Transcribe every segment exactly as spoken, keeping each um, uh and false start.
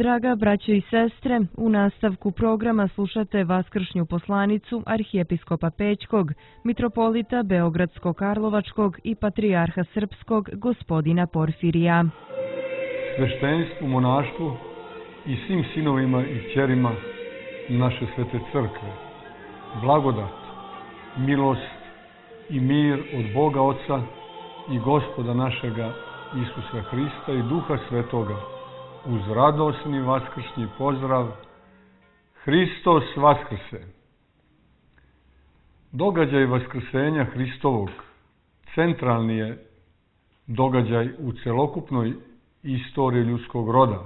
Draga braćo i sestre, u nastavku programa slušate vaskršnju poslanicu arhijepiskopa Pećkog, mitropolita Beogradsko-Karlovačkog i patrijarha Srpskog gospodina Porfirija. Sveštenstvu, monaštvu i svim sinovima i kćerima naše svete crkve, blagodat, milost i mir od Boga Oca i Gospoda našega Isusa Hrista i Duha Svetoga, uz radosni vaskršnji pozdrav: Hristos vaskrse! Događaj vaskrsenja Hristovog centralni je događaj u celokupnoj istoriji ljudskog roda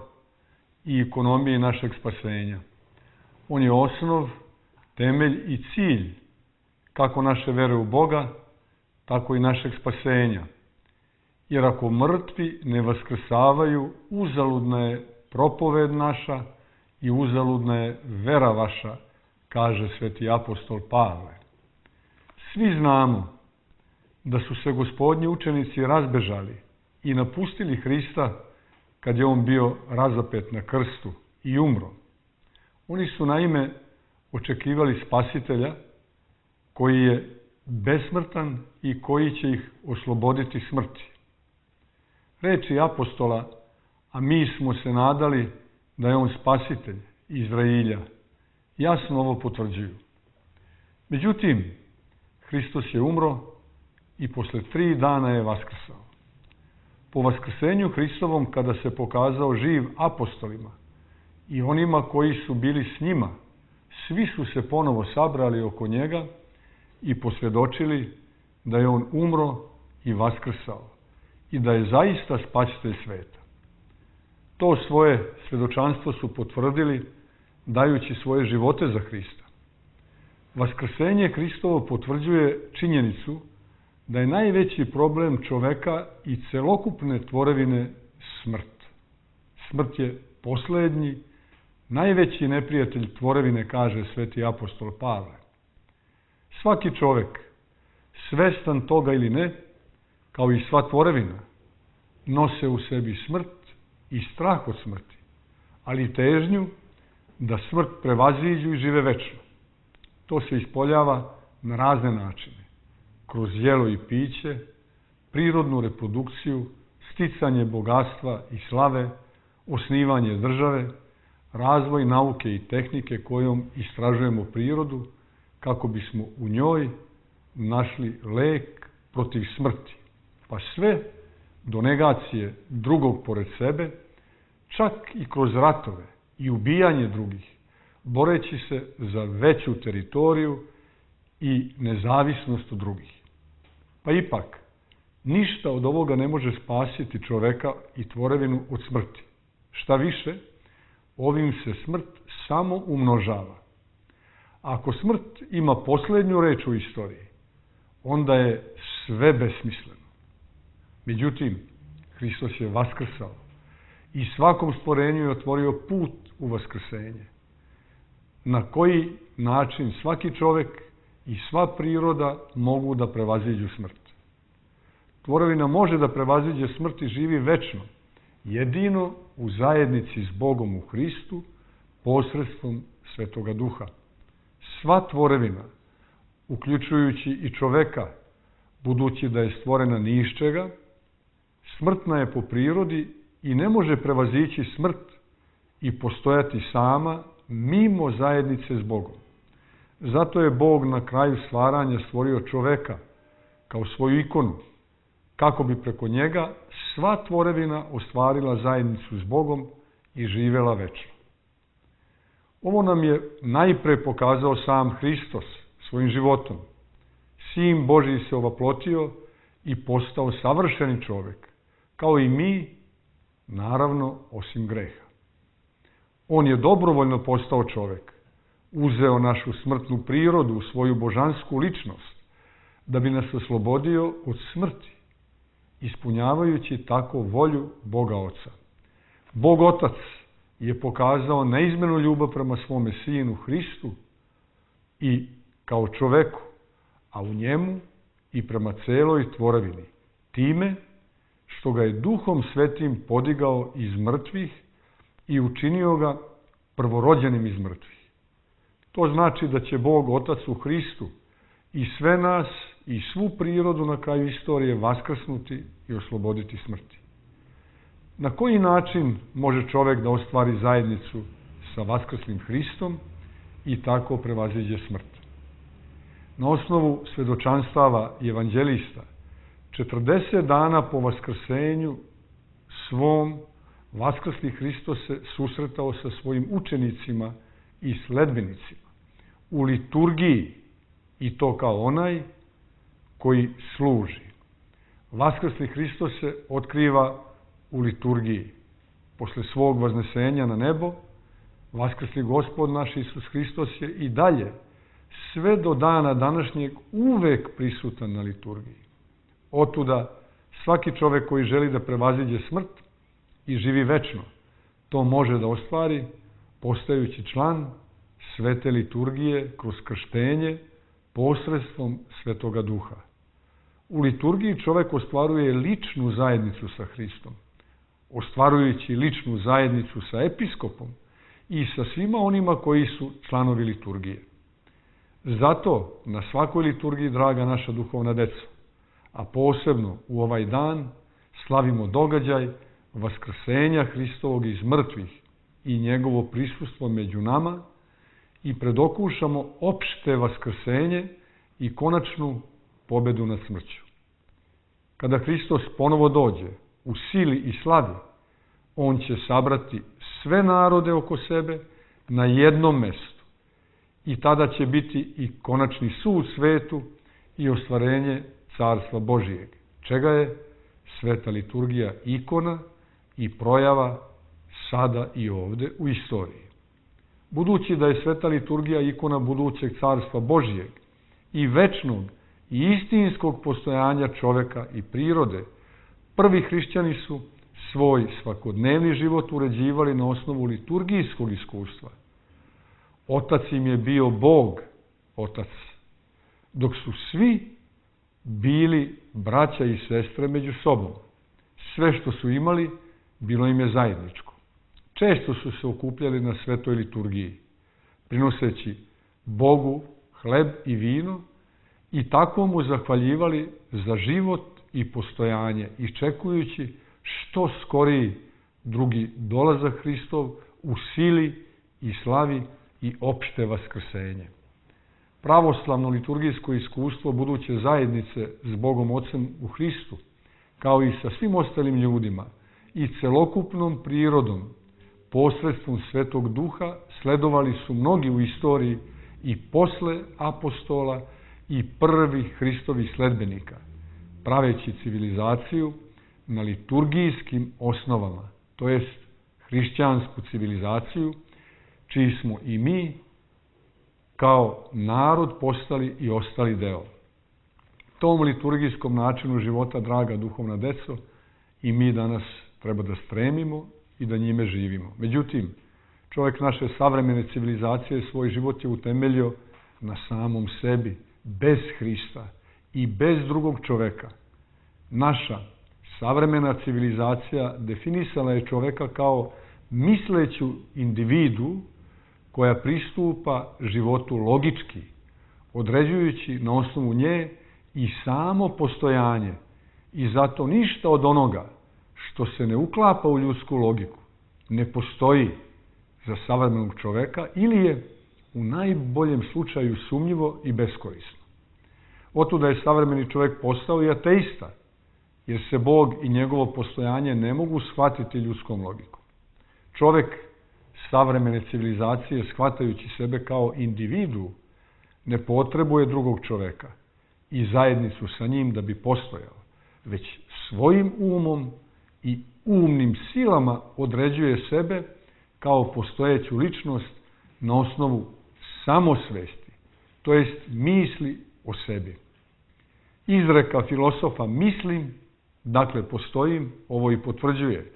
i ekonomiji našeg spasenja. On je osnov, temelj i cilj kako naše vere u Boga, tako i našeg spasenja. Jer ako mrtvi ne vaskrsavaju, uzaludna je propoved naša i uzaludna je vera vaša, kaže sveti apostol Pavle. Svi znamo da su se gospodnji učenici razbežali i napustili Hrista kad je on bio razapet na krstu i umro. Oni su naime očekivali spasitelja koji je besmrtan i koji će ih osloboditi smrti. Reči apostola: a mi smo se nadali da je on spasitelj Izrailja, jasno ovo potvrđuju. Međutim, Hristos je umro i posle tri dana je vaskrsao. Po vaskrsenju Hristovom, kada se pokazao živ apostolima i onima koji su bili s njima, svi su se ponovo sabrali oko njega i posvjedočili da je on umro i vaskrsao i da je zaista spasitelj sveta. To svoje svjedočanstvo su potvrdili dajući svoje živote za Hrista. Vaskrsenje Hristovo potvrđuje činjenicu da je najveći problem čoveka i celokupne tvorevine smrt. Smrt je poslednji, najveći neprijatelj tvorevine, kaže sveti apostol Pavle. Svaki čovek, svestan toga ili ne, kao i sva tvorevina, nose u sebi smrt i strah od smrti, ali i težnju da smrt prevaziđu i žive večno. To se ispoljava na razne načine, kroz jelo i piće, prirodnu reprodukciju, sticanje bogatstva i slave, osnivanje države, razvoj nauke i tehnike kojom istražujemo prirodu kako bismo u njoj našli lek protiv smrti, pa sve do negacije drugog pored sebe, čak i kroz ratove i ubijanje drugih, boreći se za veću teritoriju i nezavisnost od drugih. Pa ipak, ništa od ovoga ne može spasiti čoveka i tvorevinu od smrti. Šta više, ovim se smrt samo umnožava. Ako smrt ima poslednju reč u istoriji, onda je sve besmisleno. Međutim, Hristos je vaskrsao i svakom stvorenju je otvorio put u vaskrsenje. Na koji način svaki čovek i sva priroda mogu da prevaziđu smrt. Tvorevina može da prevaziđe smrt i živi večno, jedino u zajednici s Bogom u Hristu, posredstvom Svetoga Duha. Sva tvorevina, uključujući i čoveka, budući da je stvorena ni iz čega, smrtna je po prirodi i ne može prevazići smrt i postojati sama mimo zajednice s Bogom. Zato je Bog na kraju stvaranja stvorio čoveka kao svoju ikonu, kako bi preko njega sva tvorevina ostvarila zajednicu s Bogom i živela večno. Ovo nam je najpre pokazao sam Hristos svojim životom. Sin Božji se ovaplotio i postao savršeni čovek, kao i mi, naravno, osim greha. On je dobrovoljno postao čovek, uzeo našu smrtnu prirodu u svoju božansku ličnost, da bi nas oslobodio od smrti, ispunjavajući tako volju Boga Oca. Bog Otac je pokazao neizmjernu ljubav prema svome Sinu Hristu i kao čoveku, a u njemu i prema celoj tvorevini, time što ga je Duhom Svetim podigao iz mrtvih i učinio ga prvorođenim iz mrtvih. To znači da će Bog, Otac u Hristu, i sve nas i svu prirodu na kraju istorije vaskrsnuti i osloboditi smrti. Na koji način može čovek da ostvari zajednicu sa vaskrslim Hristom i tako prevaziđe smrt? Na osnovu svedočanstava evanđelista, četrdeset dana po vaskrsenju svom, vaskrsli Hristos se susretao sa svojim učenicima i sledbenicima u liturgiji, i to kao onaj koji služi. Vaskrsli Hristos se otkriva u liturgiji. Posle svog vaznesenja na nebo, vaskrsli Gospod naš Isus Hristos je i dalje, sve do dana današnjeg, uvek prisutan na liturgiji. Otuda svaki čovek koji želi da prevaziđe smrt i živi večno, to može da ostvari postajući član svete liturgije kroz krštenje posredstvom Svetoga Duha. U liturgiji čovek ostvaruje ličnu zajednicu sa Hristom, ostvarujući ličnu zajednicu sa episkopom i sa svima onima koji su članovi liturgije. Zato na svakoj liturgiji, draga naša duhovna deco, a posebno u ovaj dan, slavimo događaj vaskrsenja Hristovog iz mrtvih i njegovo prisustvo među nama i predokušamo opšte vaskrsenje i konačnu pobedu nad smrću. Kada Hristos ponovo dođe u sili i slavi, on će sabrati sve narode oko sebe na jednom mestu i tada će biti i konačni sud svetu i ostvarenje Carstva Božijeg, čega je sveta liturgija ikona i projava sada i ovde u istoriji. Budući da je sveta liturgija ikona budućeg Carstva Božijeg i večnog i istinskog postojanja čoveka i prirode, prvi hrišćani su svoj svakodnevni život uređivali na osnovu liturgijskog iskustva. Otac im je bio Bog, Otac, dok su svi bili braća i sestre među sobom. Sve što su imali, bilo im je zajedničko. Često su se okupljali na svetoj liturgiji, prinoseći Bogu hleb i vino i tako mu zahvaljivali za život i postojanje, iščekujući što skoriji drugi dolazak Hristov u sili i slavi i opšte vaskrsenje. Pravoslavno liturgijsko iskustvo buduće zajednice s Bogom Ocem u Hristu, kao i sa svim ostalim ljudima i celokupnom prirodom, posredstvom Svetog Duha, sledovali su mnogi u istoriji i posle apostola i prvih Hristovih sledbenika, praveći civilizaciju na liturgijskim osnovama, to jest hrišćansku civilizaciju, čiji smo i mi kao narod postali i ostali deo. Tom liturgijskom načinu života, draga duhovna deco, i mi danas treba da stremimo i da njime živimo. Međutim, čovjek naše savremene civilizacije svoj život je utemeljio na samom sebi, bez Hrista i bez drugog čoveka. Naša savremena civilizacija definisala je čoveka kao misleću individu koja pristupa životu logički, određujući na osnovu nje i samo postojanje i zato ništa od onoga što se ne uklapa u ljudsku logiku ne postoji za savremenog čoveka ili je u najboljem slučaju sumnjivo i beskorisno. Otuda je savremeni čovek postao i ateista, jer se Bog i njegovo postojanje ne mogu shvatiti ljudskom logikom. Čovek savremene civilizacije, shvatajući sebe kao individu, ne potrebuje drugog čoveka i zajednicu sa njim da bi postojao, već svojim umom i umnim silama određuje sebe kao postojeću ličnost na osnovu samosvesti, to jest misli o sebi. Izreka filosofa mislim, dakle postojim, ovo i potvrđuje.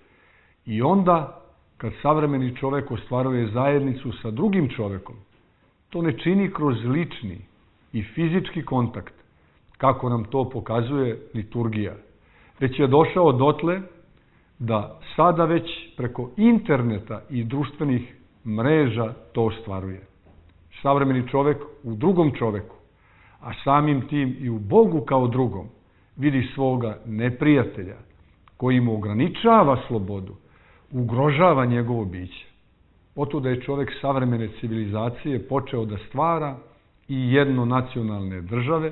I onda, kad savremeni čovek ostvaruje zajednicu sa drugim čovekom, to ne čini kroz lični i fizički kontakt, kako nam to pokazuje liturgija, već je došao dotle da sada već preko interneta i društvenih mreža to ostvaruje. Savremeni čovek u drugom čoveku, a samim tim i u Bogu kao drugom, vidi svoga neprijatelja koji mu ograničava slobodu, ugrožava njegovo biće. Otuda je čovek savremene civilizacije počeo da stvara i jednonacionalne države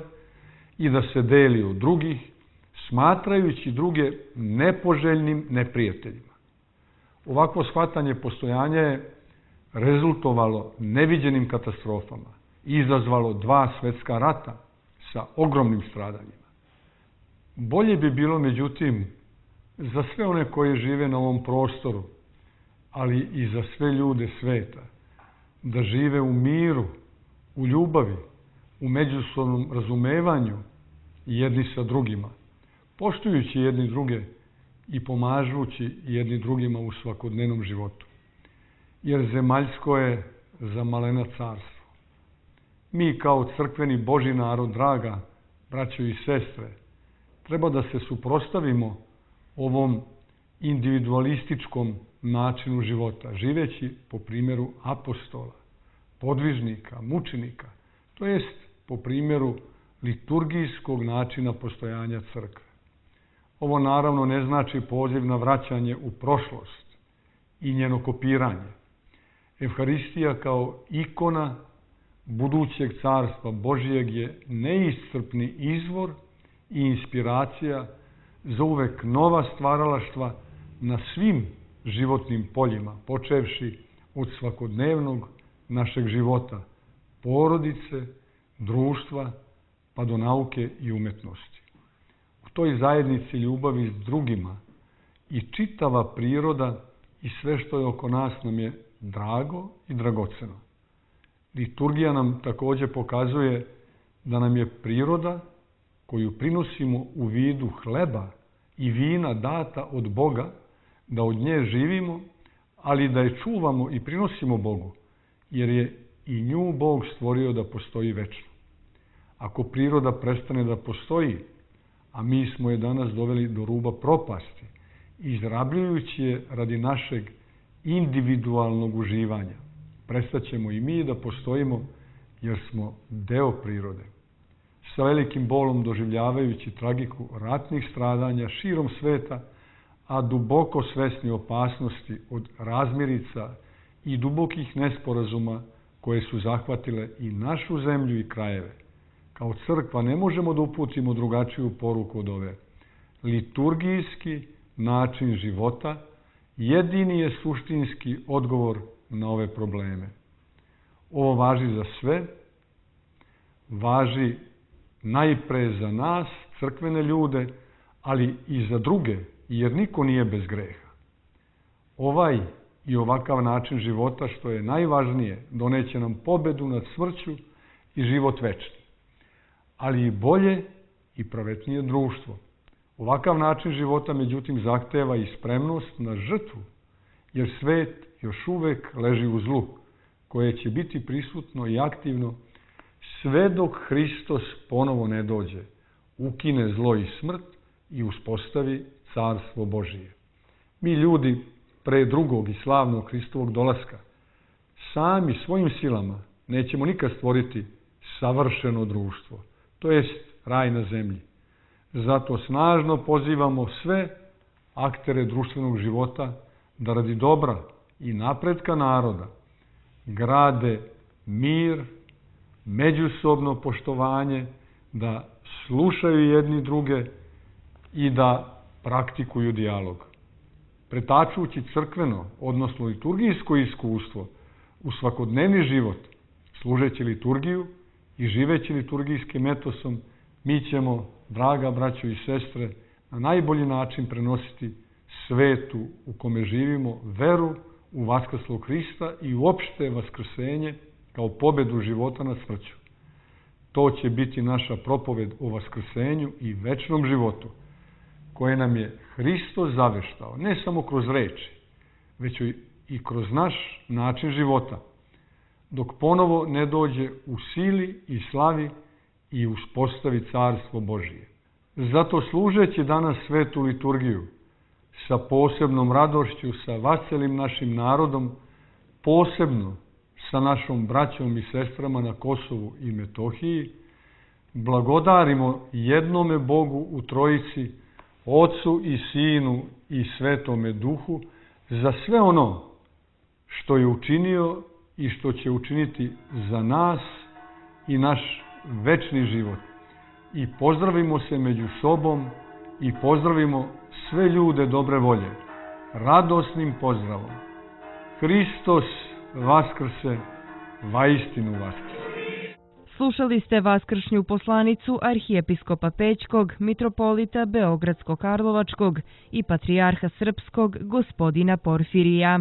i da se deli od drugih, smatrajući druge nepoželjnim neprijateljima. Ovakvo shvatanje postojanja je rezultovalo neviđenim katastrofama i izazvalo dva svetska rata sa ogromnim stradanjima. Bolje bi bilo, međutim, za sve one koji žive na ovom prostoru, ali i za sve ljude sveta, da žive u miru, u ljubavi, u međusobnom razumevanju jedni sa drugima, poštujući jedni druge i pomažući jedni drugima u svakodnevnom životu. Jer zemaljsko je za malena carstvo. Mi kao crkveni Božji narod, draga braćo i sestre, treba da se suprotstavimo ovom individualističkom načinu života, živeći po primjeru apostola, podvižnika, mučenika, to jest po primjeru liturgijskog načina postojanja crkve. Ovo naravno ne znači poziv na vraćanje u prošlost i njeno kopiranje. Evharistija kao ikona budućeg carstva Božijeg je neiscrpni izvor i inspiracija za uvek nova stvaralaštva na svim životnim poljima, počevši od svakodnevnog našeg života, porodice, društva, pa do nauke i umetnosti. U toj zajednici ljubavi s drugima i čitava priroda i sve što je oko nas nam je drago i dragoceno. Liturgija nam također pokazuje da nam je priroda koju prinosimo u vidu hleba i vina data od Boga, da od nje živimo, ali da je čuvamo i prinosimo Bogu, jer je i nju Bog stvorio da postoji večno. Ako priroda prestane da postoji, a mi smo je danas doveli do ruba propasti, izrabljujući je radi našeg individualnog uživanja, prestaćemo i mi da postojimo jer smo deo prirode. Sa velikim bolom doživljavajući tragiku ratnih stradanja širom sveta, a duboko svesni opasnosti od razmirica i dubokih nesporazuma koje su zahvatile i našu zemlju i krajeve. Kao crkva ne možemo da uputimo drugačiju poruku od ove. Liturgijski način života jedini je suštinski odgovor na ove probleme. Ovo važi za sve, važi najpre za nas, crkvene ljude, ali i za druge, jer niko nije bez greha. Ovaj i ovakav način života, što je najvažnije, doneće nam pobedu nad smrću i život večni, ali i bolje i pravetnije društvo. Ovakav način života, međutim, zahteva i spremnost na žrtvu, jer svet još uvek leži u zlu, koje će biti prisutno i aktivno sve dok Hristos ponovo ne dođe, ukine zlo i smrt i uspostavi carstvo Božije. Mi ljudi, pre drugog i slavnog Hristovog dolaska, sami svojim silama nećemo nikad stvoriti savršeno društvo, to jest raj na zemlji. Zato snažno pozivamo sve aktere društvenog života da radi dobra i napretka naroda grade mir, međusobno poštovanje, da slušaju jedni druge i da praktikuju dijalog. Pretačujući crkveno, odnosno liturgijsko iskustvo u svakodnevni život, služeći liturgiju i živeći liturgijskim etosom, mi ćemo, draga braćo i sestre, na najbolji način prenositi svetu u kome živimo veru u vaskrslog Hrista i uopšte vaskrsenje kao pobedu života nad smrću. To će biti naša propoved o vaskrsenju i večnom životu, koje nam je Hristos zaveštao, ne samo kroz reči, već i kroz naš način života, dok ponovo ne dođe u sili i slavi i uspostavi carstvo Božije. Zato služeći danas svetu liturgiju, sa posebnom radošću, sa vaselim našim narodom, posebno sa našom braćom i sestrama na Kosovu i Metohiji, blagodarimo jednome Bogu u Trojici, Ocu i Sinu i Svetome Duhu, za sve ono što je učinio i što će učiniti za nas i naš večni život. I pozdravimo se među sobom i pozdravimo sve ljude dobre volje, radosnim pozdravom. Hristos vaskrse, vaistinu vaskrse. Slušali ste vaskršnju poslanicu arhijepiskopa Pećkog, mitropolita Beogradsko-Karlovačkog i patrijarha srpskog gospodina Porfirija.